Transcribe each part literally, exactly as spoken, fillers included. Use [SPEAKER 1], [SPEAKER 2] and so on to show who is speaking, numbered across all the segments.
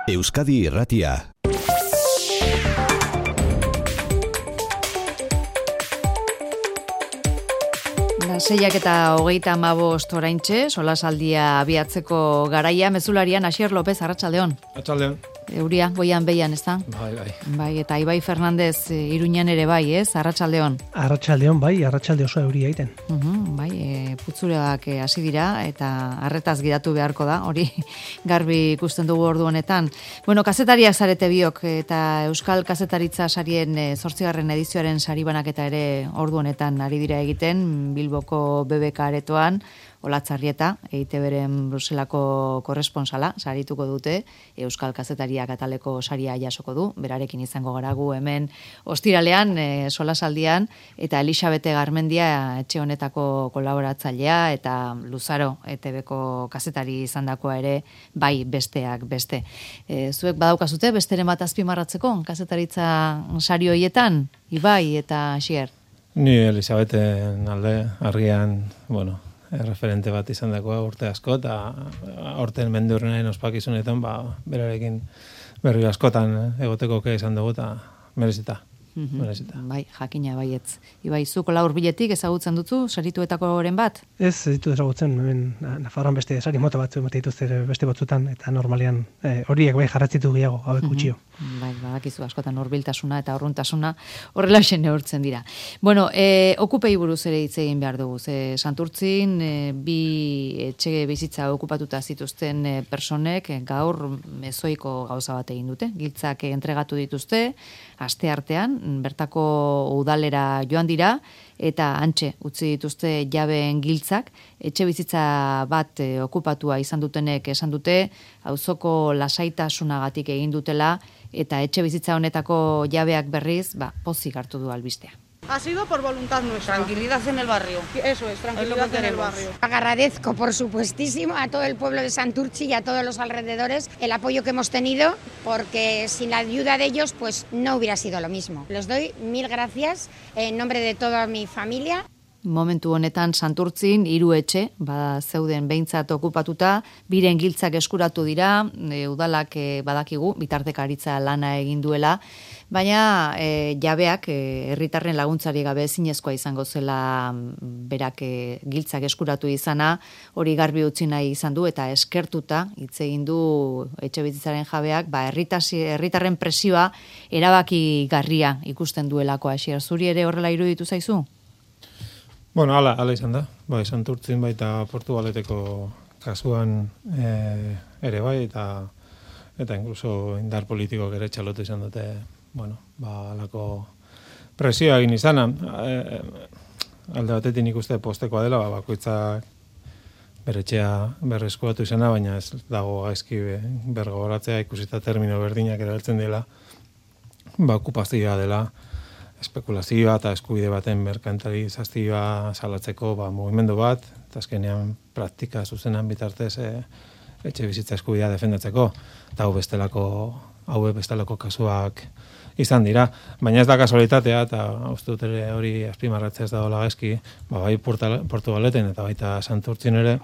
[SPEAKER 1] Euskadi Irratia.
[SPEAKER 2] Seiak eta hogeita hamabost oraintxe, solasaldia abiatzeko garaia, mezularian Asier López, arratsaldeon.
[SPEAKER 3] Arratsaldeon.
[SPEAKER 2] Euria, goian behian, ez da?
[SPEAKER 3] Bai, bai.
[SPEAKER 2] Bai, eta Ibai Fernandez Iruñan ere bai, ez? Arratsaldeon.
[SPEAKER 4] Arratsaldeon, bai, arratsalde oso euria egiten.
[SPEAKER 2] Uh-huh, bai, e, putzureak hasi dira eta arretaz gidatu beharko da, hori garbi ikusten dugu ordu honetan. Bueno, kazetariak zarete biok eta Euskal Kazetaritza sarien zortzigarren edizioaren saribanaketa ere ordu honetan ari dira egiten, Bilboko B B K aretoan, Olatzarrieta, E I Te Beren Bruselako korresponsala, sarituko dute, Euskal Kazetariak ataleko saria jasoko du, berarekin izango gara gu hemen ostiralean, e, solasaldian, eta Elisabete Garmendia etxe honetako kolaboratzailea, eta Luzaro E Te Beko kazetari izandakoa ere, bai besteak beste. E, zuek badaukazute, besteren bat azpimarratzeko, kazetaritza sari hoietan, Ibai eta Asier?
[SPEAKER 3] Ni Elisabeten alde, argian, bueno, referente bat izan dakoa urte asko, eta aurten mendurrenaren ospakizunetan, ba, berarekin berri askotan egoteko ke izan dugu, eta merezita. merezita.
[SPEAKER 2] Bai, jakina baietz. Ibai, zuko laur biletik ezagutzen dutzu, sarituetako oren bat?
[SPEAKER 4] Ez, ez ditu ezagutzen, hemen Nafarroan beste sari mota batzu emate dituzte beste batzutan, eta normalean eh, horiek bai jarratzitu gehiago, hauek gutxio.
[SPEAKER 2] Bai, badakizu askotan hurbiltasuna eta urruntasuna horrela neurtzen dira. Bueno, e, okupei buruz ere hitz egin behar dugu. Ze Santurtzin e, bi etxe bizitza okupatuta zituzten e, personek e, gaur mezoiko gauza bat egin dute. Giltzak entregatu dituzte, aste artean, bertako udalera joan dira, eta antxe utzi dituzte jabeen giltzak, etxe bizitza bat e, okupatua izan dutenek esan dute, auzoko lasaitasunagatik egin dutela, eta etxe bizitza honetako jabeak berriz, ba, pozik hartu du albistea.
[SPEAKER 5] Ha sido por voluntad nuestra.
[SPEAKER 6] Tranquilidad en el barrio.
[SPEAKER 5] Eso es, tranquilidad en el barrio.
[SPEAKER 7] Agradezco, por supuestísimo, a todo el pueblo de Santurtzi y a todos los alrededores el apoyo que hemos tenido, porque sin la ayuda de ellos, pues no hubiera sido lo mismo. Les doy mil gracias en nombre de toda mi familia.
[SPEAKER 2] Momentu honetan Santurtzin hiru etxe, ba zeuden behintzat okupatuta, biren giltzak eskuratu dira, e, udalak e, badakigu bitartekaritza lana egin duela, baina e, jabeak herritarren e, laguntzari gabe ezinezkoa izango zela berak e, giltzak eskuratu izana, hori garbi utzi nahi izan du eta eskertuta hitz egin du etxe bizitzaren jabeak, ba herritasi herritarren presioa erabakigarria ikusten duelako. Asier, zuri ere horrela iruditu zaizu?
[SPEAKER 3] Bueno, ala, ala izan da. Bai, Santurtzin baita Portugaleteko kasuan e, ere bai, eta eta incluso indar politikoak ere txalotu izan dute, bueno, ba, alako presioa egin izana. E, alde batetik nik uste postekoa dela, ba, bakoitzak beretxea berreskuatu izana, baina ez dago gaizki bergoratzea ikusita termino berdinak erabiltzen dela, ba, okupazioa dela, espekulazioa eta eskubide baten merkantilizazioa salatzeko ba, mugimendu bat, eta azkenean praktika zuzenan bitartez e, etxe bizitza eskubidea defendatzeko, eta hau bestelako, hau bestelako kasuak izan dira. Baina ez da kasualitatea, eta uste dut ere hori azpimarratzea ez dagoela gaizki, ba, bai Portugaleten eta baita Santurtzin ere,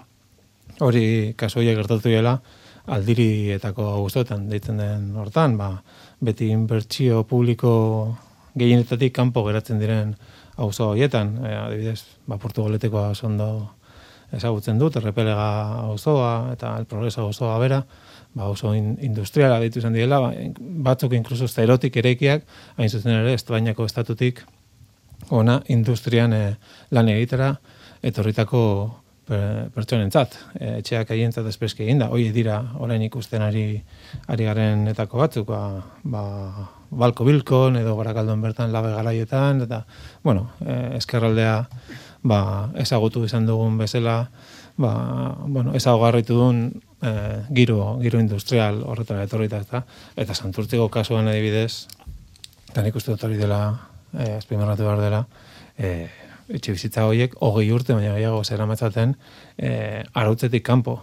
[SPEAKER 3] hori kasu horiek gertatu dela, aldirietako guztoetan deitzen den hortan, ba, beti inbertsio publiko gehienetatik kanpo geratzen diren auzo horietan, e, adibidez, ba, Portugaletekoa ondo ezagutzen dut, Errepelega auzoa eta El Progreso auzoa bera, ba, oso in, industriala ditu izan direla, ba, batzuk inkluso zerotik ereikiak, hain zuzen ere, Espainiako estatutik ona industrian e, lan egitera, etorritako per, pertsonentzat, e, etxeak haientzat espreski egin da, hoi dira orain ikusten ari, ari garenetako batzuk, ba, ba Balko Bilkon edo Barakaldon bertan labe garaietan, eta, bueno, eh, eskerraldea ba, ezagutu izan dugun bezala, ba, bueno, ezagugarritu duen eh, giro, giro industrial horretara etorrita, eta, eta Santurtziko kasuan adibidez, eta nik uste dut hori dela, eh, azpimarratu behar dela, eh, etxe bizitza horiek, hogei urte, baina gehiago zera matzaten, eh, arautzetik kanpo,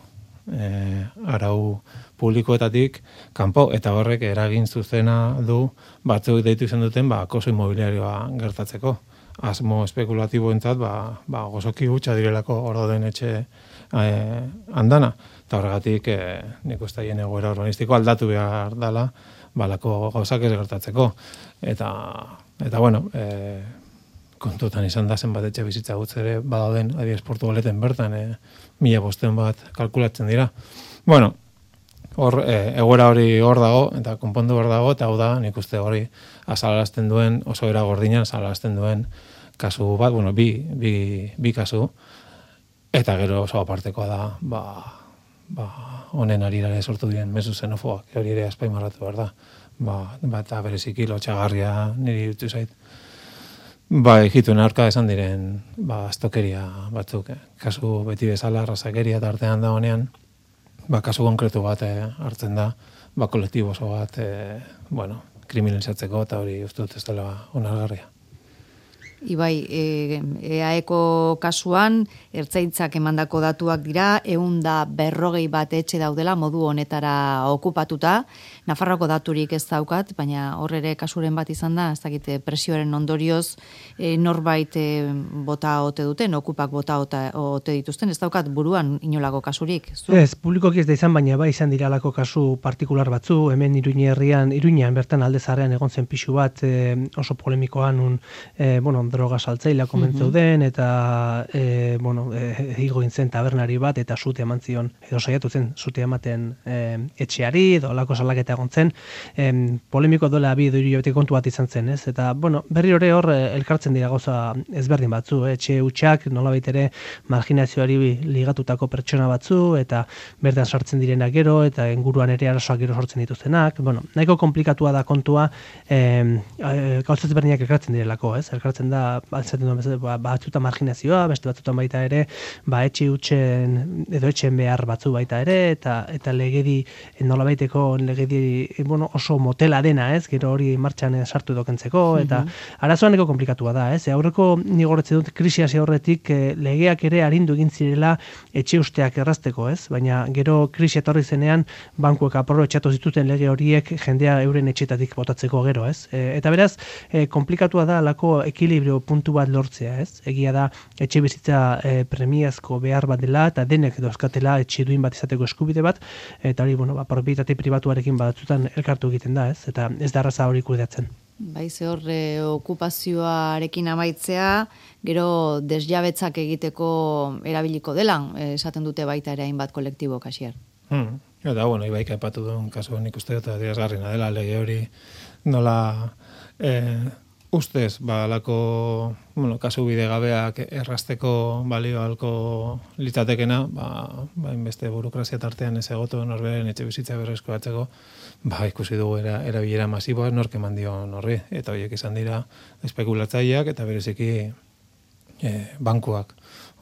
[SPEAKER 3] eh, arau publikoetatik kanpo, eta horrek eragin zuzena du batzuk deitu izan duten ba, akoso inmobiliarioa gertatzeko. Asmo espekulatiboentzat ba, ba, gozoki hutsa direlako hor dauden etxe eh, andana. Eta horregatik, eh, nik uste hien egoera urbanistiko aldatu behar dala, balako gauzak ez gertatzeko. Eta, eta bueno, eh, kontutan izan da zenbat etxe bizitza gutz ere badauden adiez Portugaleten bertan, eh, mila bosten bat kalkulatzen dira. Bueno, hor, eh, egoera hori hor dago, eta konpondu hor dago, eta hau da, nik uste hori azalarazten duen, oso era gordinan azalarazten duen kasu bat, bueno, bi, bi, bi kasu, eta gero oso apartekoa da, ba, ba, honen arirare sortu diren mezu xenofoak, hori ere azpaimarratu behar da. Ba, ba, eta bereziki lotxagarria niri dutu zait. Ba, egituen aurka esan diren, ba, astokeria batzuk, eh? Kasu beti bezala, razakeria eta artean da honean, ba, kasu konkretu bat eh, hartzen da, ba, kolektibo oso bat, eh, bueno, kriminalizatzeko, eta hori uste dut ez dela onargarria.
[SPEAKER 2] Ibai, e, eaeko kasuan, ertzaintzak emandako datuak dira, ehun da berrogei bat etxe daudela modu honetara okupatuta. Nafarroako daturik ez daukat, baina hor ere kasuren bat izan da, ez dakite presioaren ondorioz e, norbait e, bota ote duten, okupak bota ota, ote dituzten, ez daukat buruan inolako kasurik. Zu?
[SPEAKER 4] Ez, publikoki ez da izan, baina bai izan diralako kasu partikular batzu, hemen Iruña herrian, Iruñan bertan alde zaharrean egon zen pixu bat, e, oso polemikoan, un, e, bueno, droga saltzailea komentzeu den, eta e, bueno, e, higo zen tabernari bat, eta zute eman zion, edo saiatu zen zute ematen e, etxeari, edo lako salaketa egon zen, e, polemiko dola bi edo hiru kontu bat izan zen, ez? Eta, bueno, berri hori hor e, elkartzen dira gauza ezberdin batzu, eh? Etxe hutsak nolabait ere marginazioari ligatutako pertsona batzu, eta bertan sartzen direnak gero, eta inguruan ere arazoak gero sortzen dituztenak, bueno, nahiko komplikatua da kontua, e, e, gauza ezberdinak elkartzen direlako, ez? Elkartzen da, batzaten duen, ba, batzuta marginazioa, beste batzutan baita ere, ba, etxe hutsen, edo etxen behar batzu baita ere, eta eta legedi, nolabaiteko legedi, bueno, oso motela dena, ez? Gero hori martxan sartu dokentzeko, eta arazoan eko komplikatua da, ez? Aurreko nigorretzen dut krisi hasi aurretik eh, legeak ere arindu egin zirela etxe usteak errazteko, ez? Baina gero krisi etorri zenean bankuek aprobetxatu zituzten lege horiek jendea euren etxetatik botatzeko gero, ez? E, eta beraz, e, komplikatua da alako ekilibrio puntu bat lortzea, ez? Egia da etxe bizitza e, premiazko behar bat dela, eta denek dauzkatela etxe duin bat izateko eskubide bat, eta hori, bueno, ba, propietate pribatuarekin batzutan elkartu egiten da, ez? Eta ez da arraza hori kudeatzen.
[SPEAKER 2] Bai, ze hor e, okupazioarekin amaitzea, gero desjabetzak egiteko erabiliko dela, e, esaten dute baita ere hainbat kolektibo kasier.
[SPEAKER 3] Hmm. Eta, bueno, Ibaik aipatu duen kasu nik uste eta dirazgarrina dela, lege hori nola eh, ustez, ba, alako, bueno, kasu bidegabeak errazteko balio halko litzatekena, ba, ba, inbeste burokrazia tartean ez egotu norberen etxe bizitza berrezko batzeko, ba, ikusi dugu era, erabilera masiboa nork eman dion horri, eta horiek izan dira espekulatzaileak eta bereziki eh, bankuak.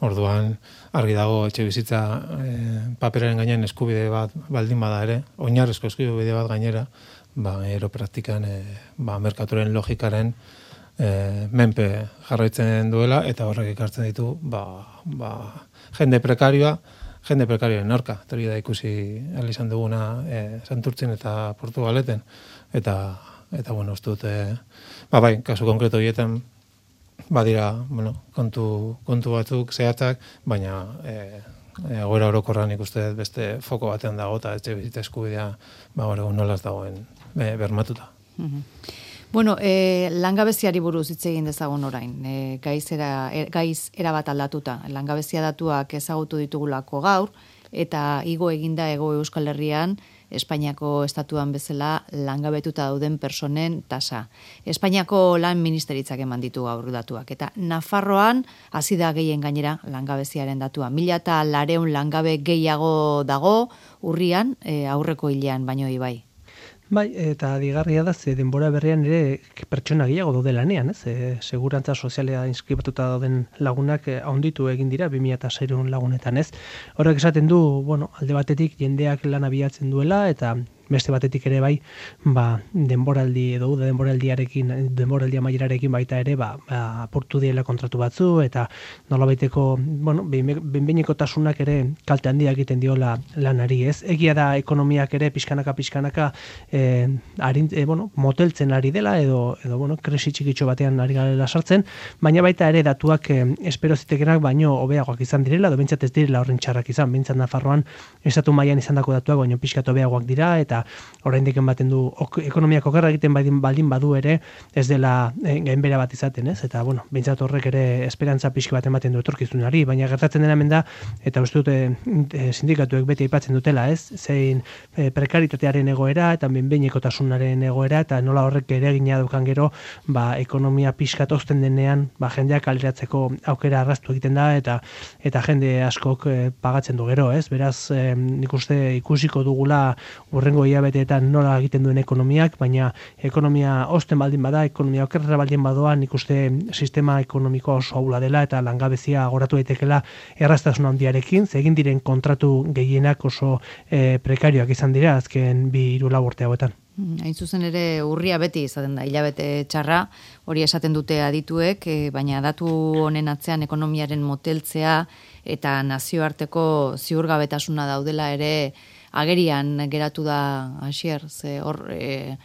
[SPEAKER 3] Orduan, argi dago etxe bizitza eh, paperaren gainean eskubide bat baldin bada ere, oinarrezko eskubide bat gainera, ba, ero praktikan eh, ba, merkaturen logikaren eh, menpe jarraitzen duela, eta horrek ekartzen ditu ba, ba, jende prekarioa, jende prekarioen aurka. Eta hori da ikusi ahal izan duguna eh, Santurtzin eta Portugaleten. Eta, eta bueno, uste dut, eh, ba, bai, kasu konkreto horietan, badira, bueno, kontu, kontu batzuk zehatzak, baina eh, egoera orokorran ikuste beste foko batean dago, eta etxe bizitza eskubidea, ba, hori nolaz dagoen e, bermatuta.
[SPEAKER 2] Mm-hmm. Bueno, e, langabeziari buruz hitz egin dezagun orain, e, gaiz, era, er, gaiz erabat aldatuta. Langabezia datuak ezagutu ditugulako gaur, eta igo eginda Hego Euskal Herrian, Espainiako estatuan bezala langabetuta dauden personen tasa. Espainiako lan ministeritzak eman ditu gaur datuak. Eta Nafarroan hasi da gehien gainera langabeziaren datua. Mila eta lareun langabe gehiago dago urrian, e, aurreko hilean baino Ibai.
[SPEAKER 4] Bai, eta digarria da, ze denbora berrian ere pertsona gehiago daude lanean, ez? E, segurantza sozialea inskribatuta dauden lagunak e, handitu egin dira bi mila seiehun lagunetan, ez? Horrek esaten du, bueno, alde batetik jendeak lan abiatzen duela, eta beste batetik ere bai, ba, denboraldi edo uda denboraldiarekin, denboraldi amaierarekin baita ere, ba, ba apurtu diela kontratu batzu, eta nolabaiteko, bueno, behinbeinekotasunak ere kalte handia egiten diola lanari, ez? Egia da ekonomiak ere pixkanaka pixkanaka eh, arin, eh, bueno, moteltzen ari dela edo edo bueno, krisi txikitxo batean ari garela sartzen, baina baita ere datuak eh, espero zitekenak baino hobeagoak izan direla, edo behintzat ez direla horren txarrak izan, behintzat Nafarroan estatu mailan izandako datuak baino pixkat hobeagoak dira, eta oraindik ematen du ok, ekonomiak okerra egiten baldin, baldin badu ere ez dela eh, gainbera bat izaten, ez? Eta bueno, behintzat horrek ere esperantza pixka bat ematen du etorkizunari, baina gertatzen dena hemen da, eta uste dute e, sindikatuek beti aipatzen dutela, ez? Zein e, prekaritatearen egoera eta behinbehinekotasunaren egoera, eta nola horrek ere egina dukan gero, ba, ekonomia pixkat ozten denean, ba, jendeak kaleratzeko aukera arraztu egiten da, eta eta jende askok e, pagatzen du gero, ez? Beraz, e, nik uste ikusiko dugula urrengo hilabeteetan nola egiten duen ekonomiak, baina ekonomia ozten baldin bada, ekonomia okerra baldin badoa, nik uste sistema ekonomiko oso ahula dela, eta langabezia goratu daitekela erraztasun handiarekin, ze egin diren kontratu gehienak oso e, prekarioak izan dira azken bi hiru lau urte hauetan.
[SPEAKER 2] Hain zuzen ere urria beti izaten da, hilabete txarra, hori esaten dute adituek, e, baina datu honen atzean ekonomiaren moteltzea eta nazioarteko ziurgabetasuna daudela ere agerian geratu da Asier, ze hor e,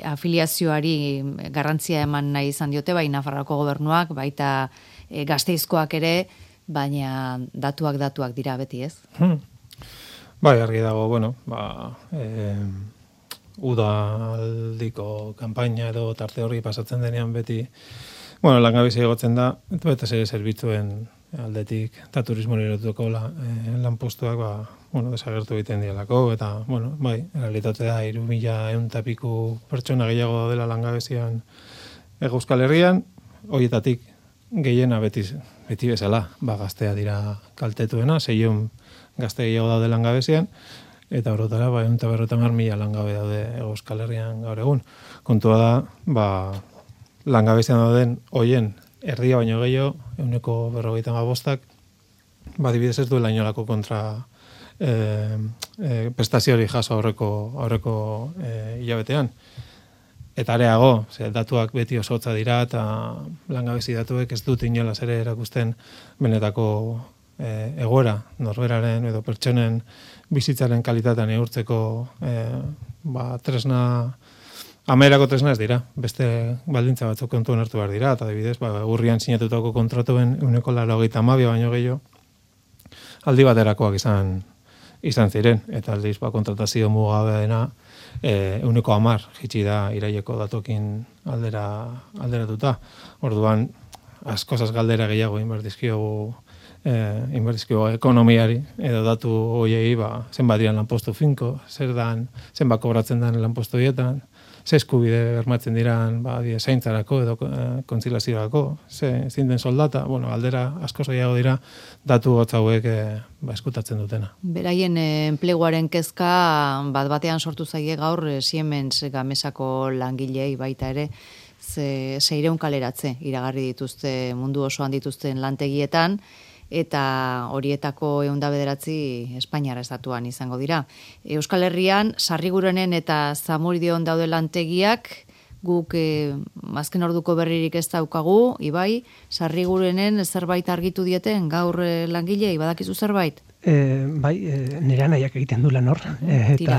[SPEAKER 2] afiliazioari garrantzia eman nahi izan diote, bai Nafarroako gobernuak, baita e, Gasteizkoak ere, baina datuak datuak dira beti, ez?
[SPEAKER 3] Hmm. Bai, argi dago, bueno, ba, eh, udaldiko kanpaina edo tarte horri pasatzen denean beti, bueno, langabezia egotzen da, eta bete ere zerbitzuen aldetik, eta turismo erotuko la, eh, lanpostuak, ba, bueno, desagertu egiten dialako, eta, bueno, bai, realitate da, hiru mila ehun eta piku pertsona gehiago dela langabezian Euskal Herrian, horietatik gehiena beti, beti bezala, ba, gaztea dira kaltetuena, seiehun gazte gehiago daude langabezian, eta orotara, ba, ehun eta berrogeita hamar mila langabe daude Euskal Herrian gaur egun. Kontua da, ba, langabezian dauden hoien erdia baino gehiago, ehuneko berrogeita hamabostak, ba, adibidez ez duela inolako kontra eh, eh, prestazioari jaso aurreko, aurreko eh, hilabetean. Eta areago, ze datuak beti oso hotza dira, eta langabezi datuek ez dut inolaz ere erakusten benetako e, egoera, norberaren edo pertsonen bizitzaren kalitatean neurtzeko e, ba, tresna, amerako tresna ez dira, beste baldintza batzuk kontuan hartu behar dira, eta adibidez, ba, urrian sinatutako kontratuen ehuneko laurogeita hamabi baino gehiago aldi baterakoak izan izan ziren, eta aldiz ba, kontratazio mugabeena eh ehuneko hamar jitsi da iraileko datokin aldera alderatuta. Orduan askozaz galdera gehiago inberdizkiogu eh inberdizkiogu ekonomiari edo datu hoiei ba zenbat diran lanpostu finko, zer dan, zenbat kobratzen dan lanpostu hietan, ze eskubide bermatzen diran ba die zaintzarako edo e, kontziliaziorako, ze zein den soldata, bueno, galdera asko gehiago dira datu hotz hauek e, ba eskutatzen dutena.
[SPEAKER 2] Beraien e, enpleguaren kezka bat batean sortu zaie gaur e, Siemens Gamesako langilei baita ere, ze seiehun kaleratze iragarri dituzte mundu osoan dituzten lantegietan, eta horietako ehun eta bederatzi Espainiar estatuan izango dira. Euskal Herrian, Sarrigurenen eta Zamudion daude lantegiak, guk eh, azken orduko berririk ez daukagu, Ibai, Sarrigurenen zerbait argitu dieten gaur eh, langilei, badakizu zerbait?
[SPEAKER 4] E, bai, e, nire anaiak egiten du lan hor, e, eta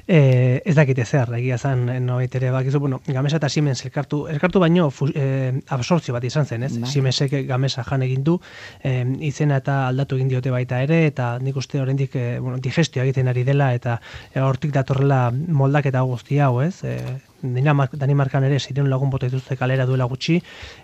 [SPEAKER 4] e, ez dakite zer, egia zan, noait ere bakizu, bueno, Gamesa eta Siemens elkartu, elkartu baino e, absortzio bat izan zen, ez? Bai. Siemensek Gamesa jan egin du, e, izena eta aldatu egin diote baita ere, eta nik uste oraindik e, bueno, digestioa egiten ari dela, eta e, hortik datorrela moldaketa guzti hau, ez? E, Danimarkan ere ziren lagun bota dituzte kalera duela gutxi,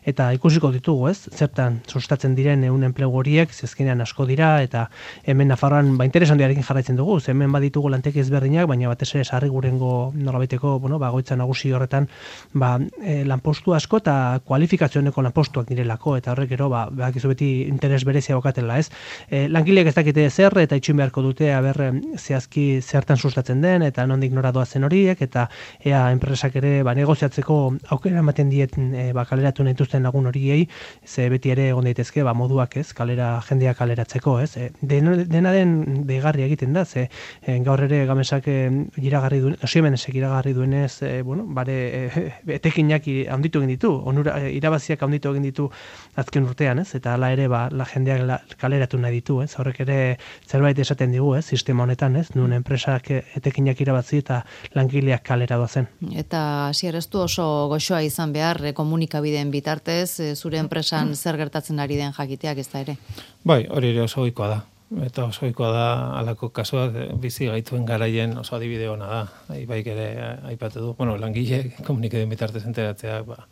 [SPEAKER 4] eta ikusiko ditugu, ez? Zertan sustatzen diren ehun enplegu horiek, zezkenean asko dira, eta hemen Nafarroan ba interesan diarekin jarraitzen dugu, hemen baditugu lanteki ezberdinak, baina batez ere Sarrigurengo nolabaiteko, bueno, ba goitza nagusi horretan, ba e, lanpostu asko eta kualifikazioeneko lanpostuak direlako, eta horrek gero ba badakizu beti interes berezia bokatela, ez? E, langileek ez dakite zer eta itxin beharko dute aber zehazki zertan sustatzen den eta nondik nora doazen horiek, eta ea enpresa enpresak ere ba, negoziatzeko aukera ematen diet e, ba, kaleratu nahi dituzten lagun horiei, ze beti ere egon daitezke ba, moduak ez, kalera, jendea kaleratzeko, ez. E, dena, dena den deigarri egiten da, ze e, gaur ere Gamesak e, iragarri duen, Siemensek iragarri duenez, e, bueno, bare, e, etekinak handitu egin ditu, onura, e, irabaziak handitu egin ditu azken urtean, ez, eta hala ere ba, la jendeak la, kaleratu nahi ditu, ez, horrek ere zerbait esaten digu, ez, sistema honetan, ez, nun enpresak etekinak irabazi eta langileak kalera doazen.
[SPEAKER 2] Eta hasier ez du oso goxoa izan behar e, komunikabideen bitartez, e, zure enpresan zer gertatzen ari den jakiteak ez da ere?
[SPEAKER 3] Bai, hori ere oso ohikoa da. Eta oso ohikoa da halako kasuak bizi gaituen garaien oso adibide ona da. Ibaik ere aipatu du. Bueno, langile komunikabideen bitartez enteratzeak, ba,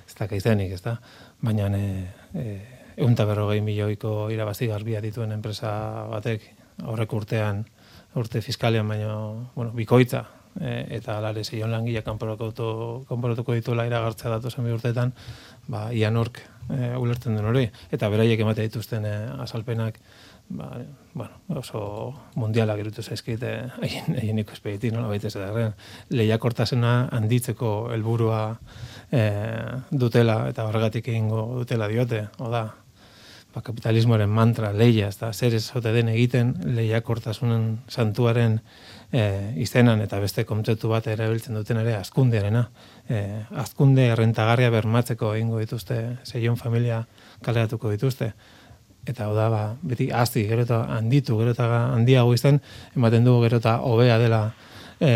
[SPEAKER 3] ez da kaizenik, ez da. Baina e, e, ehun eta berrogei milioiko irabazi garbia dituen enpresa batek aurreko urtean, urte fiskalian baino, bueno, bikoitza, e, eta alare zeion langile kanporatuko dituela iragartzea datozen bi urteetan, ba, ia nork e, ulertzen den hori. Eta beraiek emate dituzten e, azalpenak, ba, bueno, oso mundialak irutu zaizkit haien haien ikuspegiti, nola baita ez da. Lehiakortasuna handitzeko helburua e, dutela eta horregatik egingo dutela diote, oda. Ba, kapitalismoaren mantra, leia, ez da, zer ez ote den egiten lehiakortasunen santuaren e, izenan eta beste kontzeptu bat erabiltzen duten ere azkundearena. E, azkunde errentagarria bermatzeko egingo dituzte, zeion familia kaleratuko dituzte. Eta hau da, ba, beti azti, gero eta handitu, gero eta handiago izan, ematen dugu gero eta hobea dela e,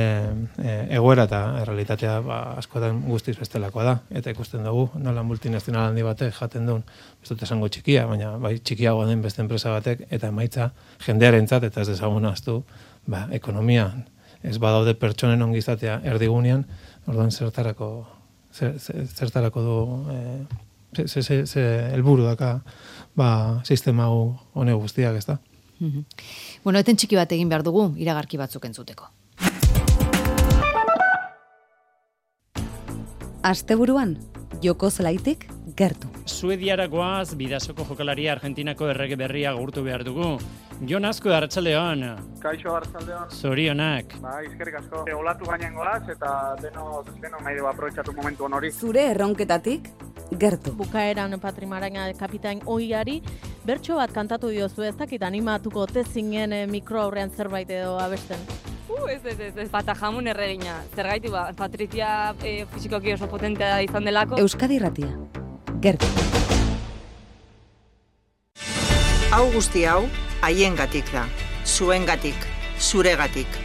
[SPEAKER 3] e, egoera eta errealitatea ba, askotan guztiz bestelakoa da. Eta ikusten dugu, nola multinazional handi batek jaten duen, ez dut esango txikia, baina bai txikiagoa den beste enpresa batek, eta emaitza jendearentzat eta ez dezagun ahaztu, ba, ekonomian, ez badaude pertsonen ongizatea erdigunean, orduan zertarako, zer, zertarako du, e, ze, ze, ze helburu daka, ba, sistema hone guztiak, ez da.
[SPEAKER 2] Mm-hmm. Bueno, eten txiki bat egin behar dugu, iragarki batzuk entzuteko.
[SPEAKER 1] Asteburuan, joko zelaitik gertu.
[SPEAKER 6] Suediara goaz, bidasoko jokalaria Argentinako errege berria gurtu behar dugu. Jon Azko, arratsaldeon.
[SPEAKER 5] Kaixo, arratsaldeon.
[SPEAKER 6] Zorionak.
[SPEAKER 5] Ba, izkerrik asko. E, olatu gainen goaz eta deno, deno nahi dugu aprobetxatu momentu hon hori.
[SPEAKER 1] Zure erronketatik gertu.
[SPEAKER 8] Bukaeran Patrimaraina kapitain ohiari, bertso bat kantatu diozu, ez dakit animatuko tezingen e, mikro aurrean zerbait edo abesten.
[SPEAKER 9] Uh, ez, ez, ez, ez, pata jamun erregina. Zergaitu ba, Patrizia e, fizikoki oso potentea izan delako.
[SPEAKER 1] Euskadi Irratia, gertu.
[SPEAKER 10] Hau guzti hau, haiengatik da. Zuengatik, zuregatik.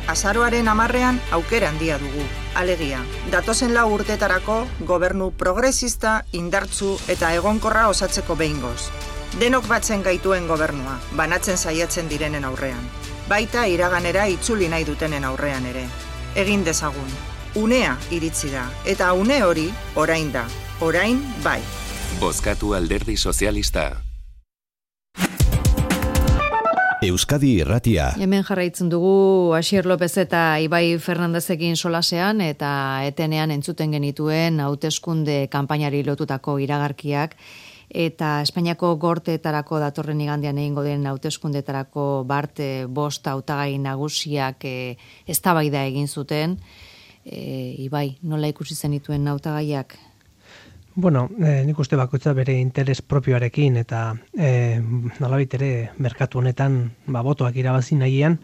[SPEAKER 10] Azaroaren hamarrean aukera handia dugu. Alegia, datozen lau urtetarako gobernu progresista, indartzu eta egonkorra osatzeko behingoz. Denok batzen gaituen gobernua, banatzen saiatzen direnen aurrean. Baita iraganera itzuli nahi dutenen aurrean ere. Egin dezagun. Unea iritsi da, eta une hori orain da. Orain bai.
[SPEAKER 11] Bozkatu Alderdi Sozialista.
[SPEAKER 12] Euskadi Irratia.
[SPEAKER 2] Hemen jarraitzen dugu Asier López eta Ibai Fernandezekin solasean eta etenean entzuten genituen hauteskunde kanpainari lotutako iragarkiak eta Espainiako gorteetarako datorren igandean egingo den hauteskundeetarako bart bost hautagai nagusiak e, eztabaida egin zuten. E, Ibai, nola ikusi zenituen hautagaiak?
[SPEAKER 4] Bueno, eh, nik uste bakoitza bere interes propioarekin eta eh, nolabait ere merkatu honetan ba, botoak irabazi nahian,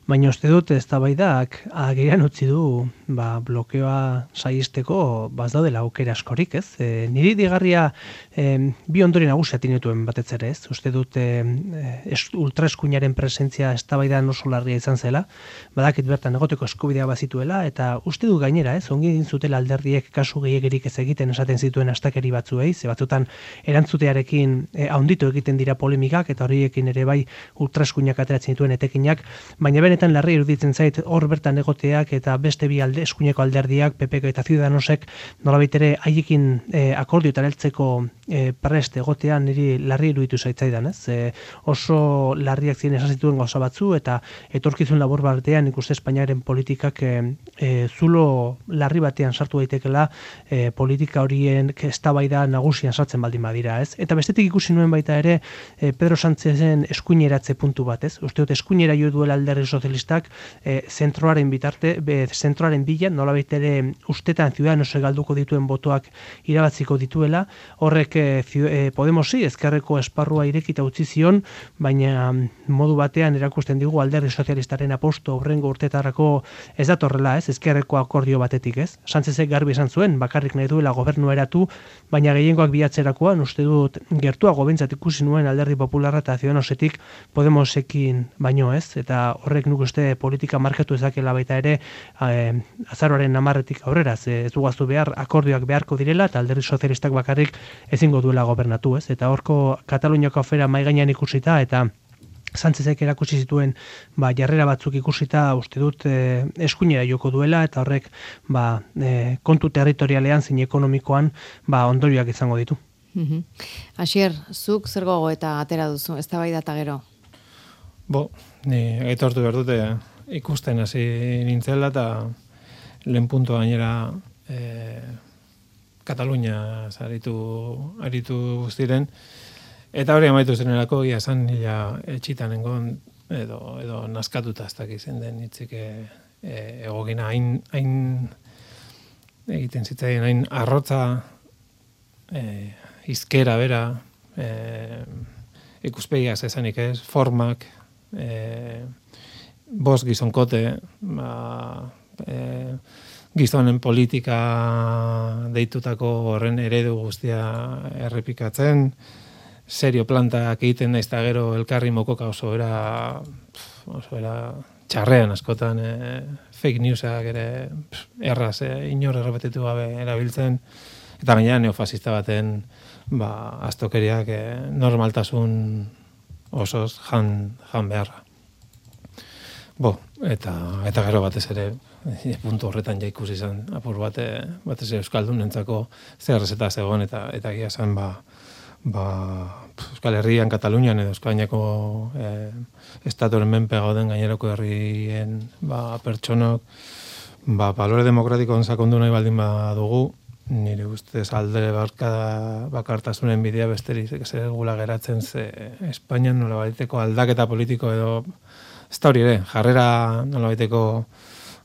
[SPEAKER 4] baina uste dut eztabaidak agerian utzi du ba, blokeoa saihesteko ba, ez daudela aukera askorik, ez? E, niri digarria e, bi ondori nagusia tinetuen batez ere, ez? Uste dut e, ultraeskuinaren presentzia eztabaidan oso larria izan zela, badakit bertan egoteko eskubidea bazituela, eta uste dut gainera, ez? Ongi egin zutela alderdiek kasu gehiegirik ez egiten esaten zituen astakeri batzuei, ze batzutan erantzutearekin e, haunditu egiten dira polemikak, eta horiekin ere bai ultraeskuinak ateratzen dituen etekinak, baina benetan larri iruditzen zait hor bertan egoteak eta beste bi alde, eskuineko alderdiak, P P K eta Ciudadanosek nolabait ere haiekin e, akordioetara heltzeko e, prest egotean niri larri iruditu zaitzaidan, ez? E, oso larriak ziren esan zituen gauza batzu eta etorkizun labur batean ikuste Espainiaren politikak e, e, zulo larri batean sartu daitekela e, politika horien eztabaida nagusian sartzen baldin badira, ez? Eta bestetik ikusi nuen baita ere e, Pedro Sánchezen eskuineratze puntu bat, ez? Uste dut eskuinera jo duela Alderdi Sozialistak e, zentroaren bitarte, be, zentroaren bilan, nolabait ere ustetan Ciudadanos galduko dituen botoak irabatziko dituela, horrek e, e, Podemosi ezkerreko esparrua irekita utzi zion, baina modu batean erakusten digu Alderdi Sozialistaren aposto aurrengo urtetarako ez datorrela, ez? Ezkerreko akordio batetik, ez? Sánchezek garbi esan zuen, bakarrik nahi duela gobernua eratu, baina gehiengoak bilatzerakoan uste dut gertuago bentsat ikusi nuen Alderdi Popularra eta Ciudadanosetik Podemosekin baino, ez? Eta horrek nuk uste politika markatu ezakela baita ere eh, azaroaren hamarretik aurrera, ez dugaztu behar akordioak beharko direla eta Alderdi Sozialistak bakarrik ezingo duela gobernatu, ez? Eta horko Kataluniako afera mahai gainean ikusita eta Sánchezek erakutsi zituen ba, jarrera batzuk ikusita uste dut e, eskuinera joko duela eta horrek ba, e, kontu territorialean zein ekonomikoan ba, ondorioak izango ditu.
[SPEAKER 2] Mhm. Asier, zuk zer gogo eta atera duzu, eztabaida eta gero?
[SPEAKER 3] Bo, ni aitortu behar dute ikusten hasi nintzela eta lehen puntua gainera e, Katalunia aritu, aritu guztiren. Eta hori amaitu zenerako, ia esan nila etxitan engon, edo, edo naskatuta ez dakiz den hitzik e, egokina, hain, hain egiten zitzaien, hain arrotza, e, izkera bera, e, ikuspegiaz esanik ez, formak, e, bos gizonkote, ba, e, gizonen politika deitutako horren eredu guztia errepikatzen, serio plantak egiten naiz eta gero elkarri mokoka oso era oso era txarrean askotan e, fake newsak ere erraz e, inor errepetitu gabe erabiltzen eta gainera neofasista baten ba astokeriak e, normaltasun osoz jan jan beharra. Bo, eta eta gero batez ere e, puntu horretan ja ikusi izan apur bate batez ere euskaldunentzako zer errezeta zegoen eta eta egia esan ba ba, Euskal Herrian, Katalunian edo Espainiako eh, estatuaren menpe gauden gainerako herrien ba, pertsonok ba, balore demokratikoan sakondu nahi baldin badugu, nire ustez alde barka bakartasunen bidea besterik ez gula geratzen ze Espainian nolabaiteko aldaketa politiko edo ez da hori ere, jarrera nolabaiteko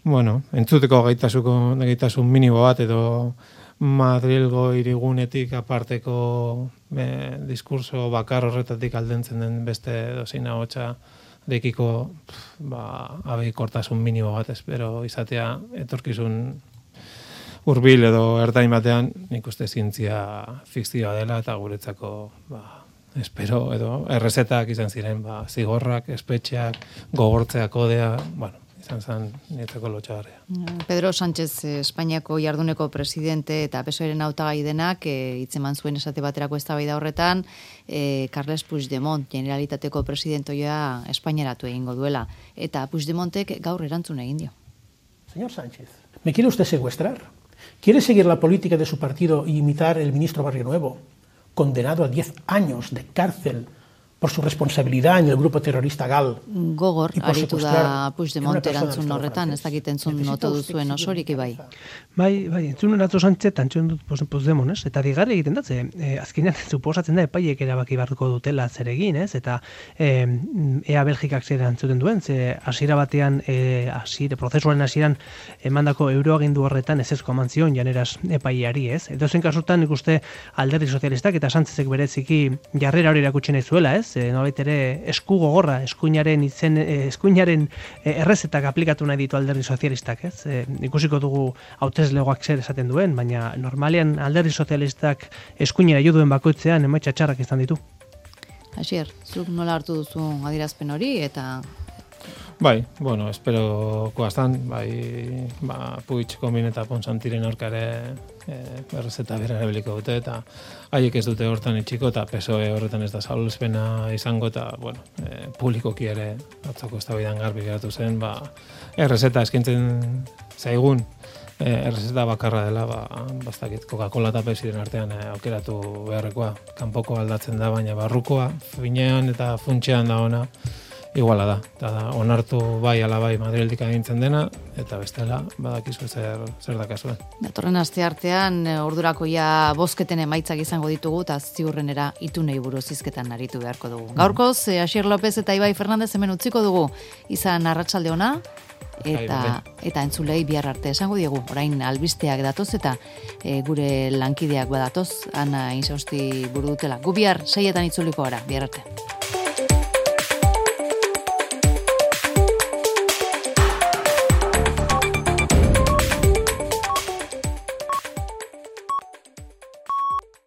[SPEAKER 3] bueno, entzuteko gaitasuko gaitasun minimo bat edo Madrilgo irigunetik aparteko e, diskurso bakar horretatik aldentzen den beste dozina hotxa dekiko ba, abeikortasun minimo bat espero izatea etorkizun hurbil edo ertain batean nik uste zientzia fikzioa dela eta guretzako ba, espero edo errezetak izan ziren ba, zigorrak, espetxeak, gogortzea kodea, bueno, izan zen nietzako lotxagarria.
[SPEAKER 2] Pedro Sánchez, Espainiako jarduneko presidente eta P S O-ren hautagai denak hitzeman zuen esate baterako eztabaida horretan, eh, Carles Puigdemont, Generalitateko presidentoia Espainiaratu egingo duela. Eta Puigdemontek gaur erantzun egin dio.
[SPEAKER 13] Señor Sánchez, ¿me quiere usted secuestrar? ¿Quiere seguir la política de su partido y imitar el ministro Barrio Nuevo, condenado a diez años de cárcel por su responsabilidad en el grupo terrorista GAL?
[SPEAKER 2] Gogor, aritu da Puigdemont erantzun horretan, ez dakit entzun noto duzuen osorik ibai.
[SPEAKER 4] Bai, bai, entzun eratzo Sánchez, entzun dut Puigdemont, ez? Eta digarri egiten datze, eh, azkenean suposatzen da epaiek erabaki beharko dutela zer egin, ez? Eta eh, ea Belgikak zer antzuten duen, ze hasiera batean, eh, hasire, prozesuaren hasieran emandako euroagindu horretan ezezko eman zion janeraz epaiari, ez? Edozein kasutan ikuste Alderdi Sozialistak eta Sánchezek bereziki jarrera hori erakutsi nahi zuela, ez? E, nolait ere esku gogorra, eskuinaren izen, eskuinaren errezetak aplikatu nahi ditu Alderdi Sozialistak, ez? E, ikusiko dugu hauteslegoak zer esaten duen, baina normalean Alderdi Sozialistak eskuinera jo duen bakoitzean emaitza txarrak izan ditu.
[SPEAKER 2] Asier, zuk nola hartu duzu adierazpen hori eta
[SPEAKER 3] Bai, bueno, espero koaztan, bai, ba, Puig, Komin eta Ponsantiren aurkare e, errezeta bera erabiliko dute, eta haiek ez dute hortan itxiko, eta P S O E horretan ez da saluzpena izango, eta, bueno, e, publikoki ere atzoko eztabaidan garbi geratu zen, ba, errezeta eskintzen zaigun errezeta bakarra dela, ba, bastakit, Coca-Cola eta Pepsiren artean eh, aukeratu beharrekoa. Kanpoko aldatzen da, baina barrukoa, finean eta funtsean da ona, iguala da. Eta da, onartu bai ala bai Madrildik agintzen dena, eta bestela, badakizu zer, zer dakazuen.
[SPEAKER 2] Datorren aste artean, ordurako ja bozketen emaitzak izango ditugu, eta ziurrenera itunei buruz hizketan aritu beharko dugu. Gaurkoz, eh, Asier López eta Ibai Fernandez hemen utziko dugu, izan arratsalde ona, eta eta entzulei bihar arte esango diegu. Orain albisteak datoz eta e, gure lankideak badatoz, Ana Insausti buru dutela. Gu bihar seietan itzuliko gara, bihar arte.